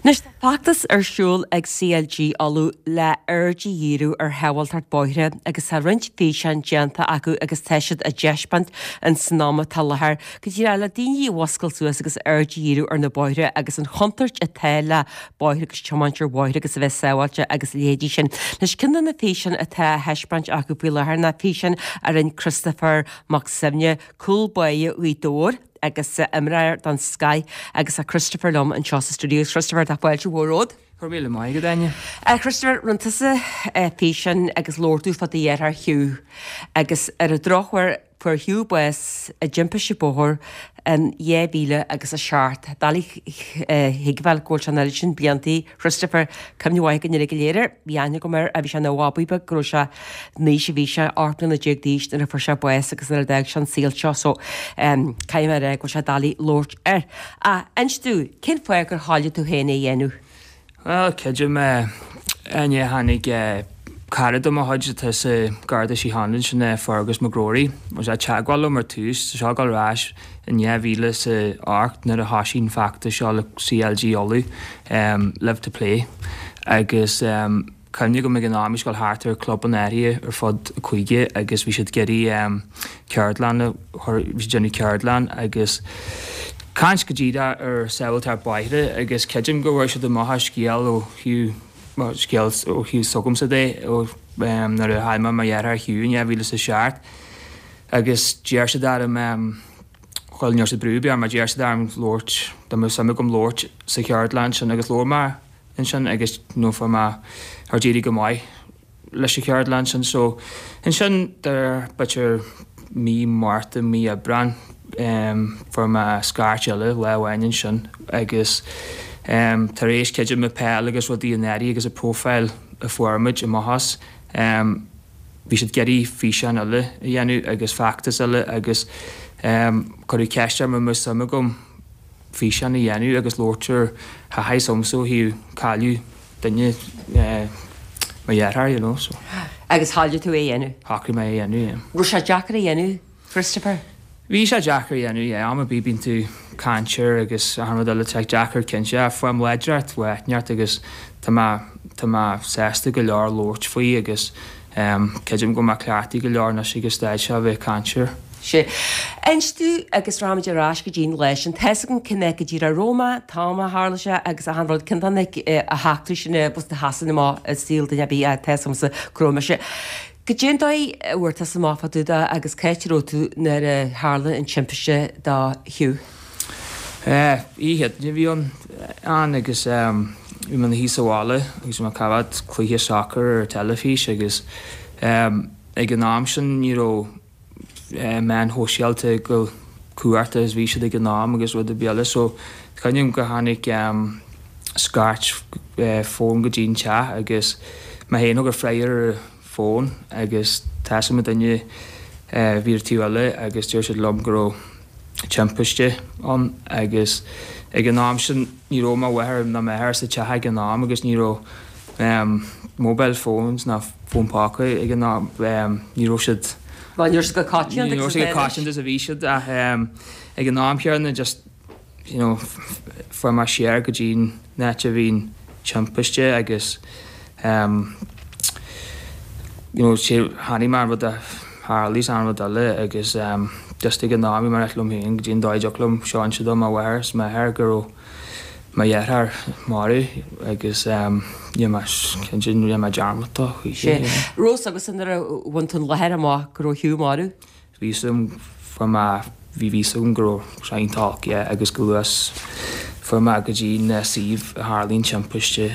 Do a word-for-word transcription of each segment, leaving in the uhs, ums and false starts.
Anois tá feachtas ar siúl ag CLG Uladh le aird a dhíriú ar shábháilteacht bóithre agus tá roinnt físeán déanta acu agus tá siad á dtaispeáint in san am atá i láthair go díreach le daoine a mhuscailt suas agus aird a dhíriú ar na bóithre agus an chontúirt atá le bóithre agus tiomáint ar bhóithre agus a bheith sábháilte agus a leithéidí sin. Anois ceann de na físeáin atá á thaispeáint acu faoi láthair ná físeán a rinne Christopher Mac Suibhne, cúl báire Ghaoth Dobhair agus imreoir den scoth agus tá Christopher liom anseo sa studio. Christopher tá fáilte mhór romhat. Go raibh míle maith agat Áine. Christopher rinne tusa físeán agus labhair tú fá do dheartháir Hugh agus ar an drochuair fuair Hugh bás i dtimpiste bóthair in dhá mhíle agus a seacht. Doiligh a thuigbheáil go bhfuil sé an oiread sin blianta. Christopher, cuimhne mhaith againn uilig go léir air. Bhí aithne agam air a bhí sé ina bhabaí beag go raibh sé an aois a bhí sé, ocht mbliana déag d'aois nuair a fuair sé bás agus nuair a d'fhág sé an saol seo so caithfidh mé a rá go bhfuil sé doiligh labhairt air. Ach inis domh, cén fáth gur thoiligh tú féin é a dhéanamh? Bhuel, creidim Áine tháinig cara de mo chuid atá sa Garda Síochána sin Fergus McGrory. Bhí sé ag teagmháil liom ar tús, tá seo ag dul ar ais in dhá mhíle is a ocht nuair a thosaigh an feachtas seo le CLG Uladh, Live to Play agus cuimhne agam ag an am bhí sé ag dul thart ar clubanna áirithe ar fud an chúige agus bhí siad ag iarraidh ceardlann a chur, bhí siad ag déanamh ceardlann agus caint go díreach ar sábháilteacht bóithre agus creidim go bhfuair siad amach an scéal ó thaobh scéal ó thaobh s'agamsa de ó nuair a chaill mé mo dheartháir Hugh in dhá mhíle is a seacht agus d'iarr siad orm bhuel ní raibh siad brú ar bith orm ach d'iarr siad orm labhairt dá mbeadh suim agam labhairt sa cheardlann sin agus labhair mé ansin agus you know fuair mé ar d'éirigh go maith leis an cheardlann sin so ansin de b'fhéidir mí Márta mí Aibreán fuair mé scairt eile lá amháin ansin agus tar éis creidim na peil agus rudaí an áirithe agus an profile a fuair muid amach as bhí siad ag iarraidh físeán eile a dhéanamh agus feachtas eile agus cuireadh ceist orm an mbeadh suim agam físeán a dhéanamh agus labhairt ar thaithí s'agamsa ó thaobh cailleadh duine mo dheartháir you know so. Agus thoiligh tú é a dhéanamh? Shocraigh mé é a dhéanamh, yeah. Raibh sé deacair a dhéanamh, Christopher? Bhí sé deacair a dhéanamh, yeah. Am ar bith bíonn tú ag caint air agus achan rud eile, tá sé deacair cinnte. Ach faighim láidreacht uait neart agus tá mé, tá mé sásta go leor labhairt faoi agus creidim go bhfuil mé cleachtaithe go leor anois ag an staid seo a bheith ag caint air. Sea. Inis domh agus rachaimid ar ais go dtí an lá sin. Tá's agam cén áit go díreach a raibh mé, an t-am a tharla sé agus achan rud, ceann de na heachtraí sin a sheasann amach i saol duine ar bith ach tá's agamsa go raibh mise. Goidé an dóigh a bhfuair tusa amach fá dtaobh de agus cá háit a raibh tú nuair a tharla an timpiste do Hugh? Oíche Chéadaoine a bhí ann ann agus bhí mé ina shuí sa bhaile agus bhí mé ag coimhéad cluiche sacair ar an teilifís agus ag an am sin ní raibh meáin shóisialta chomh cumhachtach is bhí siad ag an am agus rud ar bith eile so cuimhním go tháinig scairt fón go dtí an teach agus mé féin thug an freagra ar an bhfón agus tá 'fhios a'm an duine a bhí ar an taobh eile agus deir siad liom go raibh timpiste ann agus ag an am sin ní raibh mo mháthair ná m'athair sa teach ag an am agus ní raibh mobile phones ná fón póca ag an am ní raibh siad Bhuel ní raibh siad chomh coitianta ní raibh siad chomh coitianta is a bhí siad ach ag an am chéanna just you know fuair mé siar go dtí an áit a bhí an timpiste agus you know chonaic mé an rud a tharlaigh is an rud eile agus just ag an am bhí mé ag rá liom féin goidé an dóigh a dtiocfadh liom seo a inse do mo mháthair is m'athair go raibh mo dheartháir marbh agus ní raibh mé cinnte ní raibh mé dearmadta choíche. Sea. Raibh 'fhios agatsa nuair a bhain tú an láthair amach go raibh Hugh marbh? Bhí 'fhios agam fuair mé bhí 'fhios agam go raibh sé iontach olc yeah agus go luath fuair mé go dtí an suíomh a tharlaigh an timpiste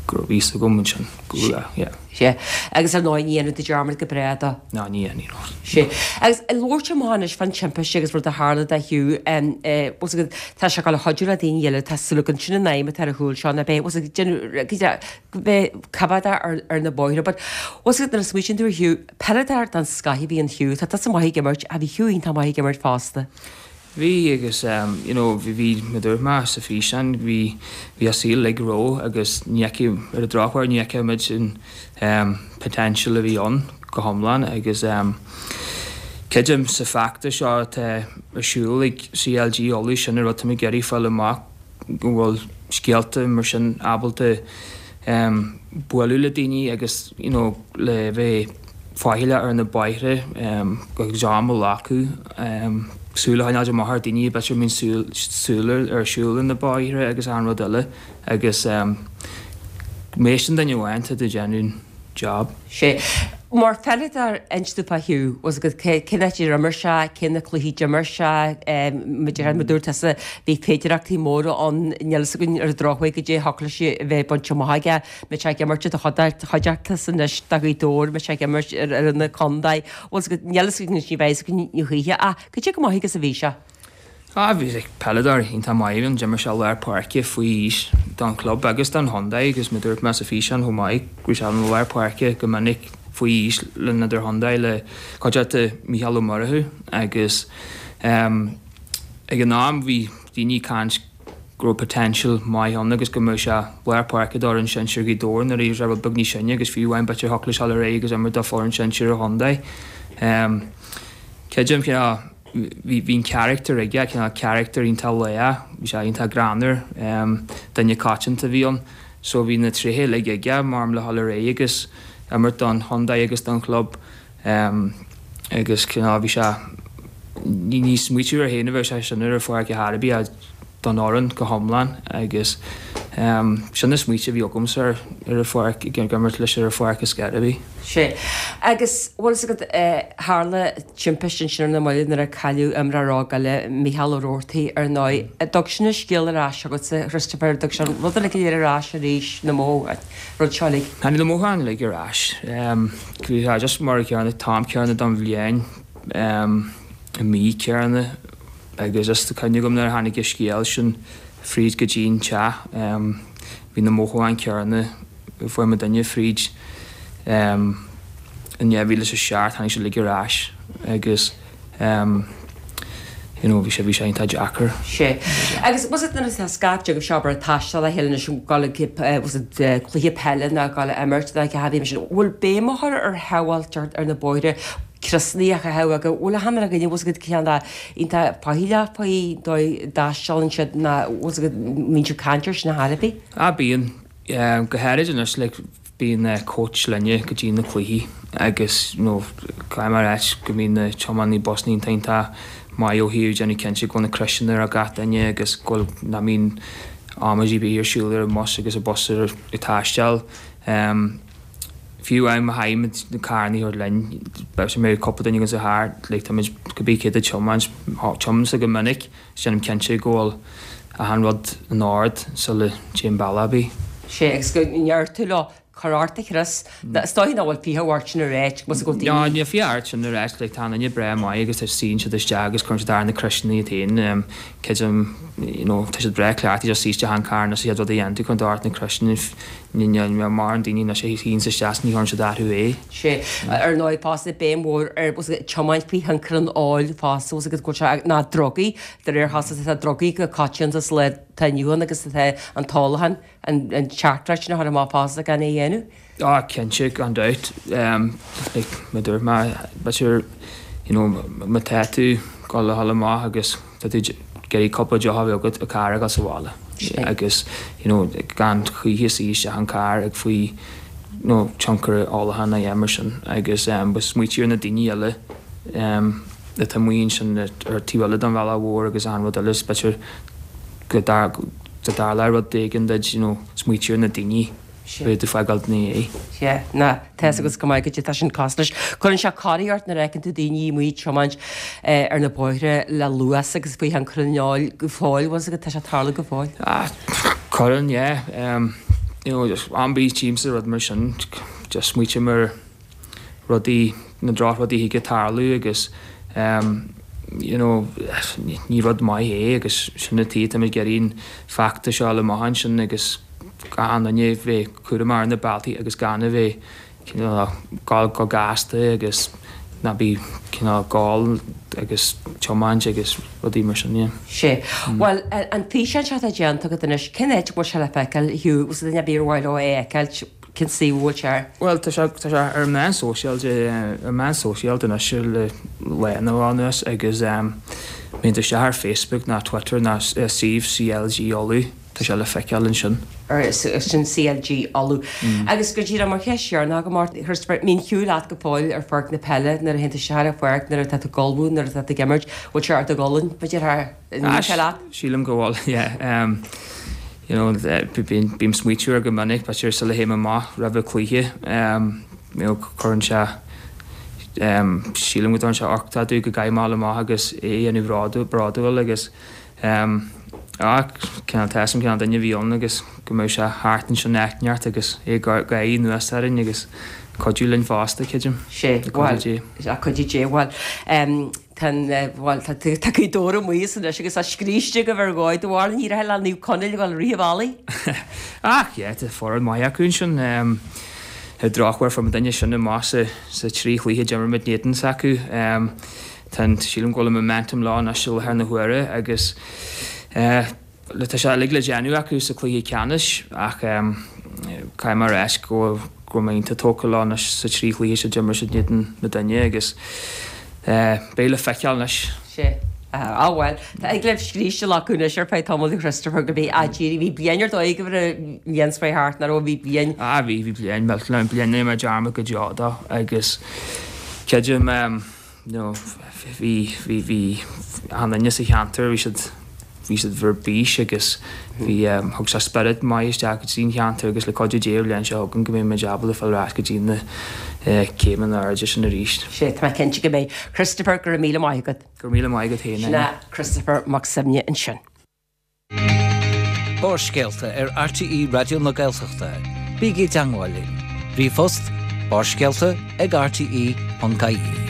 go raibh 'fhios agam ansin go luath yeah. Sea. Agus ar ndóigh ní dhéanfaidh tú dearmad go bráth de. Ná ní dhéanfaidh, no. Sea. Agus labhairt amach anois fán timpiste agus rud a tharla do Hugh, bhfuil 'fhios agat, tá sé ag dul a chuidiú le daoine eile, tá súil agam, sin an aidhm atá ar a chúl seo, ná beidh, bhfuil 'fhios agat, déanamh, go mbeidh coimhéadach ar, ar na bóithre. But, bhfuil 'fhios agat, nuair a smaoitíonn tú ar Hugh, peileadóir den scoth a bhí in Hugh, tá tusa maith ag imirt, ach bhí Hugh iontach maith ag imirt fosta. Bhí agus you know bhí bhí mar a dúirt mé sa físeán bhí bhí a saol uilig ró agus ní fheicfidh ar an drochuair ní fheicfidh muid an um potential a bhí ann go hiomlán agus um creidim sa feachtas seo atá ar siúl ag CLG Uladh sin an rud tá muid ag iarraidh fáil amach go bhfuil scéalta mar sin ábalta um, bualadh le daoine agus you know, le bheith faichilleach ar na bóithre um, agus am a ghlacadh um, súil a choinneáil amach ar daoine b'fhéidir a mbíonn súil súil ar siúl ar na bóithre agus an rud eile agus um, má éisteann duine amháin tá tú ag déanamh job. Sé. Mar pheileadóir inis domh fá Hugh, was agat cén áit ar imir sé, cé na cluichí d'imir sé, mar dúirt tusa bhí féidireachtaí móra ann níl fhios againn ar an drochuair goidé thiocfadh leis a bheith bainte amach aige, mbeidh sé ag imirt i do chuideachta anois do Ghaoth Dobhair, mbeidh sé ag imirt ar fhoireann na contae, was agat níl fhios againn anois ní bheidh fhios againn a choíche ach goidé chomh maith agus a bhí sé. Ah, bhí sé peileadóir iontach maith ann, d'imir sé lár páirce faoi aois don chlub agus don chontae agus mar dúirt mé sa físeán chomh maith go raibh sé an lár páirce go minic faoi aois le an idirchontae le cuideachta Mícheál Ó Murchú agus um, ag an am bhí daoine ag caint go raibh potential maith ann agus go mbeadh sé lár páirce d'fhoireann sinsir Ghaoth Dobhair nuair a bhí sé rud beag níos sine agus fiú amháin b'fhéidir thiocfadh leis dul ar aghaidh agus imirt do foireann sinsir an chontae. Um, Creidim cineál bhí bhí an character aige, cineál character iontach lách, bhí sé iontach greannmhar, um, duine coitianta a bhí ann, so bhí na tréithe uilig aige mar le dhul ar aghaidh agus imirt don chontae agus don chlub um, agus cineál bhí sé ní ní smaoitiú air féin a bheadh sé sin ar an pháirc ar chor ar bith don fhoireann go hiomlán agus um, sin na smaointe a bhí agamsa ar ar an pháirc ag imirt leis ar an pháirc is scor ar bith. Sé. Agus bhfuil fhios agat tharla timpiste ansin ar na mallaibh nuair a cailleadh imreoir óg eile, Mícheál Ó Roarty, ar ndóigh. An dtug sin an scéal ar ais agatsa, Christopher, an dtug sé an rud uilig go léir ar ais arís, na mó, rud seo uilig? Tháinig na mothúcháin uilig ar ais. Bhí sé just mar an céanna, t-am céanna don bhliain, i mí céanna agus just cuimhne agam nuair a tháinig an scéal sin fríd go dtí an teach, bhí na mothúcháin céanna fuair muidinne fríd in dhá mhíle is a seacht, tháinig sé uilig ar ais agus you know bhí sé bhí sé iontach deacair. Sé. Agus was it nuair atá scaifte agaibh seo ag taisteal le chéile anois ag dul ag was it cluiche peile nó ag dul ag imirt nó a bhí sin, bhfuil béim á chur ar shábháilteacht ar na bóithre criosanna a chaitheamh agus bhfuil a hanna againne bhfuil agat ceann dá iontach faichilleach faoi dóigh a dtaistealann siad ná bhfuil agat mbíonn siad caint air sin ar chor ar bith? Ah bíonn, go háirid anois like bíonn coach linne go dtí na cluichí agus you know caithfidh mé a ráit go mbíonn na tiománaí busanna iontach iontach maith ó thaobh déanamh cinnte go bhfuil na criosanna ar gach duine agus go bhfuil nach mbíonn amaidí ar bith ar siúl ar an mbus agus an bus ag taisteal. Um, Fiú amháin má chaithfimid na carranna a thabhairt linn, b'fhéidir mbeidh cúpla duine againn sa charr, like táimid cibé céard a tiomáint, tiománaimse go minic, is déanaim cinnte go bhfuil achan rud in ord sula dtéim bealach ar bith. Sé, agus go ndeir tú leo, cuir ort do chrios, is dóigh nach bhfuil fiacha ort sin a ráit, go bhfuil daoine. No, níl fiacha ort sin a ráit, like tá an duine breá maith agus tá suíonn siad isteach agus cuireann siad ar na criosanna iad féin, creidim, you know, tá siad breá cleachtaithe just suí isteach an carr anois an chéad rud a dhéanann tú, cuireann tú ort na criosanna, Níl mórán daoine anois a shuíonns isteach is ní chuireann siad orthu é. Sé. Ar ndóigh fosta béim mhór ar tiomáint faoi thionchar an óil fosta, bhfuil fhios agat go bhfuil sé, ná drugaí, de réir chás tá drugaí go coitianta sa lá atá inniu ann agus tá an t-ólachán, an teachtaireacht sin a chur amach fosta gan é a dhéanamh. Ah cinnte, gan dabht. Like mar a dúirt mé, b'fhéidir, you know, má tá tú ag dul a dhul amach agus tá tú ag iarraidh cúpla deoch a bheith agat i carr ag dul sa bhaile agus you know gan choíche suí isteach an carr ag faoi you know tionchar ólacháin ná a dhath mar sin agus um smaoitiú ar na daoine eile um atá amuigh ansin ar taobh eile den bhealach mhór agus achan rud eile is b'fhéidir go dtarlódh rud éigin duit you know smaoitiú ar na daoine Beidh tú fágáil ina dhiaidh. Sea, ná, tá fhios agat go maith goidé tá sin cosúil leis. Cuireann sé corraí ort nuair a fheiceann tú daoine amuigh ag tiomáint ar na bóithre le luas agus faoi thionchar an óil go fóill, bhfuil fhios agat, tá sé ag tarlú go fóill. Ah, cuireann, yeah. You know, just am ar bith tchímse rud mar sin, just smaoitím ar rudaí, na drochrudaí a thig ag tarlú agus you know, ní rud maith é agus sin an tuige táimid ag iarraidh an feachtas seo a fháil amach ansin agus achan duine bheith cúramach ar na bealtaí agus gan a bheith cineál ag gabháil go gasta agus ná bí cineál ag ól agus tiomáint agus rudaí mar sin, yeah. Sé. Bhuel, an físeán seo atá déanta agat anois, cén áit a bhfuil sé le feiceáil, Hugh? Bhfuil duine ar bith ar mhaith leo é a fheiceáilt, cén suíomh a bhfuil sé air? Bhuel, tá sé, tá sé ar an meán sóisialta, ar an meán sóisialta anois le lá nó dhó anuas agus má théann tú isteach ar Facebook ná Twitter ná suíomh CLG Uladh, tá sé le feiceáil ansin. Sin CLG Uladh. Agus go díreach mar cheist dheireanach agam ort, Christopher, mbíonn ciú leat go fóill ar pháirc na peile nuair a théann tú isteach ar an pháirc, nuair atá tú ag ullmhú, nuair atá tú ag imirt, bhfuil sé ar do ghualainn, b'fhéidir, an mbíonn sé leat? Sílim go bhfuil, yeah. You know, bím ag smaoitiú air go minic, b'fhéidir sula théim amach roimh cluiche, you know, cuireann sé, sílim go dtugann sé uchtach domh go gcaithfidh mé dul amach agus é a dhéanamh bródúil agus ach cineál tá a fhios agam cineál duine a bhí ann agus go mbeadh sé thart ansin áit inteacht agus é ag gáirí anuas orainn agus cuidiú linn fosta, creidim. Sé, bhuel, cuidiú Dé, bhuel, tá an, bhuel, tá tá Gaoth Dobhair amuigh as anois agus tá scríste agaibh ar dhóigh do bharr, ní raibh le Naomh Conaill a dhul rith an bhealaigh. Ach, yeah, tá foireann maith acu ansin. Ar drochuair fuair muidinne sin amach sa sa trí chluiche a d'imir muid in éadan s'acu. Tá an, sílim go bhfuil an momentum leo anois i láthair na huaire agus tá sé uilig le déanamh acu sa chluiche ceannais ach caithfidh mé a rá go go raibh mé iontach tógtha leo anois sa trí chluiche seo a d'imir siad in éadan muidinne agus beidh le feiceáil anois. Sea. Ah bhuel, tá agallamh scríste acu anois ar feadh tamaill a Christopher go bhí ah dírí, bhí bliain ar dóigh agaibh ar an bhliain seo thart, nach raibh, bhí bliain. Ah bhí, bhí bliain millteanach, bliain nach mbeidh dearmad go deo dó agus creidim you know bhí, bhí, bhí achan duine sa cheantar, bhí siad, bhí siad ar bís agus bhí, thug sé spiorad maith isteach go dtí an cheantar agus le cuidiú Dé an bhliain seo chugainn go mbeidh muid ábalta fáil ar ais go dtí na céimeanna airde sin arís. Sea, tá mé cinnte go mbeidh. Christopher, go raibh míle maith agat. Go raibh míle maith agat féin. Sin é Christopher Mac Suibhne ansin. Barrscéalta ar RTÉ Raidió na Gaeltachta. Bígí i dteagmháil linn. Ríomhphost, barrscéalta ag rte.ie.